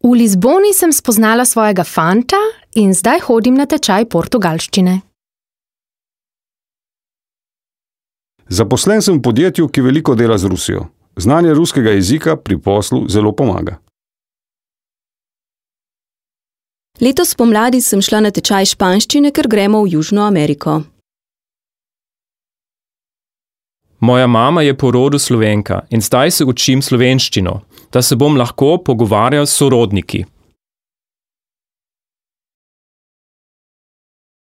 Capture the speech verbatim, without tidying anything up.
V Lizboni sem spoznala svojega fanta in zdaj hodim na tečaj portugalščine. Zaposlen sem v podjetju, ki veliko dela z Rusijo. Znanje ruskega jezika pri poslu zelo pomaga. Letos pomladi sem šla na tečaj španščine, ker gremo v Južno Ameriko. Moja mama je po rodu Slovenka in zdaj se učim slovenščino, da se bom lahko pogovarjal s sorodniki.